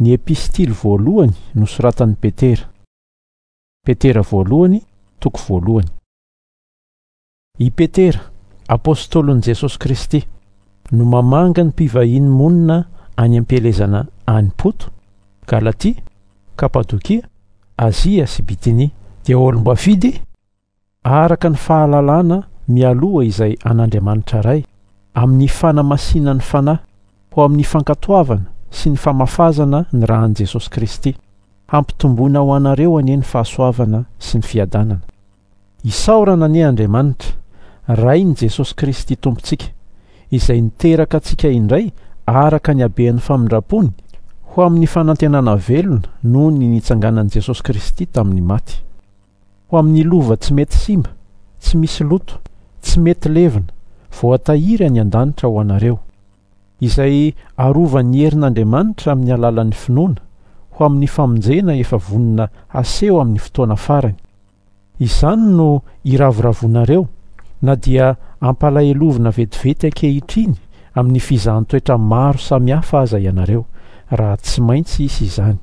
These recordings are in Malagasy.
Ny epistily voalohany nosoratan'i Petera. Petera voalohany, toko voalohany. I Petera, apostolin'i Jesosy Kristy, no mamanga ny mpivahiny monina any am-pielezana any Poto, Galatia, Kapadokia, Azia sy Bitinia, dia olom-boafidy araka ny fahalalana mialoha izay an'Andriamanitra Ray, amin'ny fanamasinan'ny Fanahy, ho amin'ny fankatoavana sy ny famafazana ny ran'i Jesosy Kristy. Hampitomboina ho anareo anie ny fahasoavana sy ny fiadanana. Isaorana anie Andriamanitra, Rain'i Jesosy Kristy Tompontsika, izay niteraka antsika indray araka ny habean'ny famindrampony, ho amin'ny fanantenana velona noho ny nitsanganan'i Jesosy Kristy tamin'ny maty. Ho amin'ny lova tsy mety simba, tsy misy loto, tsy mety levona, voatahiry any an-danitra ho anareo, izay arovan'ny herin'Andriamanitra amin'ny alalan'ny finoana, ho amin'ny famonjena efa vonona haseho amin'ny fotoana farany. Izany no iravoravoanareo, na dia ampalahelovina vetivety ankehitriny amin'ny fizahan-toetra maro samihafa aza ianareo, raha tsy maintsy hisy izany.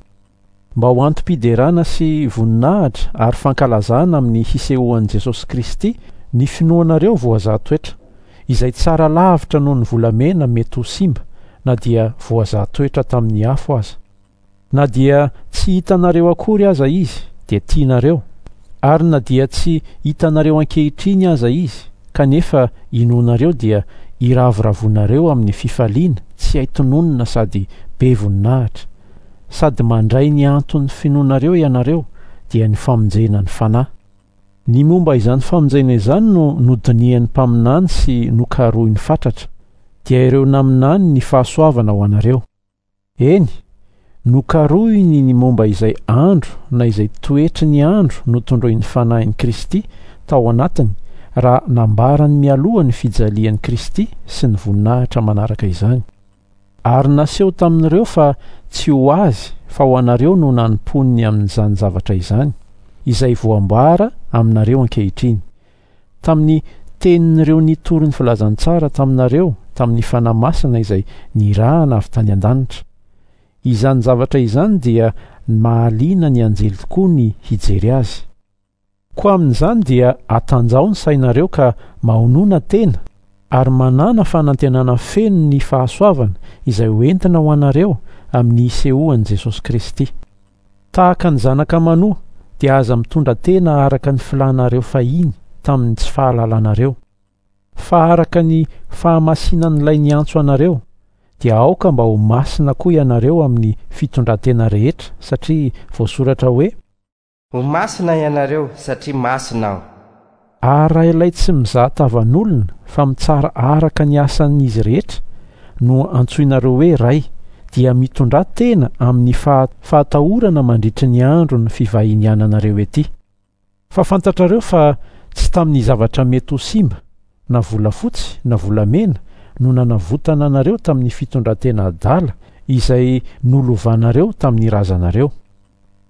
Mba ho antom-piderana sy voninahitra ary fankalazana amin'ny hisehoan'i Jesosy Kristy ny finoanareo voazaha toetra, izay tsara lavitra noho ny volamena mety ho simba na dia voazaha toetra tamin'ny afo aza. Na dia tsy hitanareo akory aza Izy dia tianareo, ary na dia tsy hitanareo ankehitriny aza Izy kanefa inoanareo dia iravoravoanareo amin'ny fifaliana tsy hay tononina sady be voninahitra. Sady mandray ny anton'ny finoanareo ianareo, dia ny famonjena ny fanahy. Ny momba izany famonjena izany no nodinihan'ny mpaminany sy nokarohiny fatratra, dia ireo naminany ny fahasoavana ho anareo. Eny, nokarohiny ny momba izay andro na izay toetry ny andro notondroin'ny Fanahin'i Kristy tao anatiny raha nambarany mialoha ny fijalian'i Kristy sy ny voninahitra manaraka izany. Ary naseho tamin'ireo fa tsy ho azy fa ho anareo no nanompoany ny amin'izany zavatra izany, izay voambara aminareo ankehitriny, tamin'ny tenin'ireo nitory ny filazantsara taminareo tamin'ny Fanahy Masina izay nirahana avy tany an-danitra. Izany zavatra izany dia mahaliana ny anjely tokoa ny hijery azy. Koa amin'izany dia atanjaho ny sainareo ka mahonona tena ary manàna fanantenana feno ny fahasoavana izay ho entina ho anareo amin'ny hisehoan'i Jesosy Kristy. Tahaka ny zanaka manoa dia aza mitondra tena araka ny filànareo fahiny tamin'ny tsy fahalalanareo. Fa araka ny fahamasinan'ilay niantso anareo, dia aoka mba ho masina koa ianareo amin'ny fitondran-tena rehetra, satria voasoratra hoe. Ho masina ianareo, satria masina Aho. Ary raha ilay tsy mizaha tavan'olona fa mitsara araka ny asan'izy rehetra no antsoinareo hoe Ray, dia mitondrà tena amin'ny fahatahorana mandritry ny andron'ny fivahiniananareo ety. Fa fantatrareo fa tsy tamin'ny zavatra mety ho simba, na volafotsy na volamena, no nanavotana anareo tamin'ny fitondran-tena adala izay nolovanareo tamin'ny razanareo.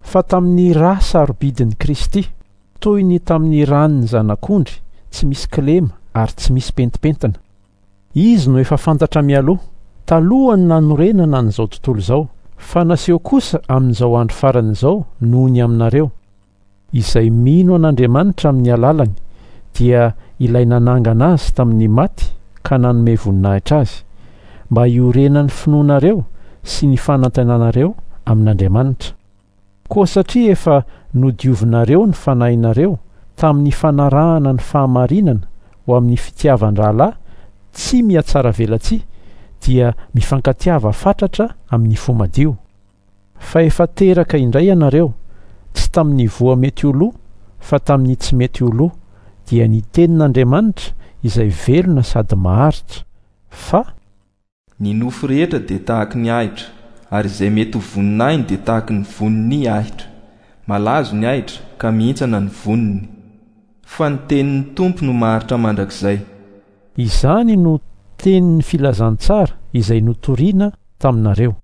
Fa tamin'ny ra sarobidin'i Kristy, toy ny tamin'ny ran'ny zanak'ondry tsy misy kilema ary tsy misy pentimpentina. Izy no efa fantatra mialoha, talohan'ny nanorenana an'izao tontolo izao, fa naseho kosa amin'izao andro farany izao noho ny aminareo, izay mino an'Andriamanitra amin'ny alalany, dia ilay nanangana azy tamin'ny maty ka nanome voninahitra azy, mba hiorenan'ny finoanareo sy ny fanantenanareo amin'Andriamanitra. Koa satria efa nodiovinareo ny fanahinareo tamin'ny fanarahana ny fahamarinana ho amin'ny fitiavan-drahalahy tsy mihatsaravelatsihy, dia mifankatiava fatratra amin'ny fo madio. Fa efa teraka indray ianareo, tsy tamin'ny voa mety ho lo, fa tamin'ny tsy mety ho lo, dia ny tenin'Andriamanitra izay velona sady maharitra, fa. Ny nofo rehetra dia tahaky ny ahitra, ary izay mety ho voninahiny dia tahaky ny vonin'ny ahitra. Malazo ny ahitra, ka mihintsana ny voniny. Fa ny tenin'ny Tompo no maharitra mandrakizay. Izany no tenin'ny filazantsara izay notorina taminareo.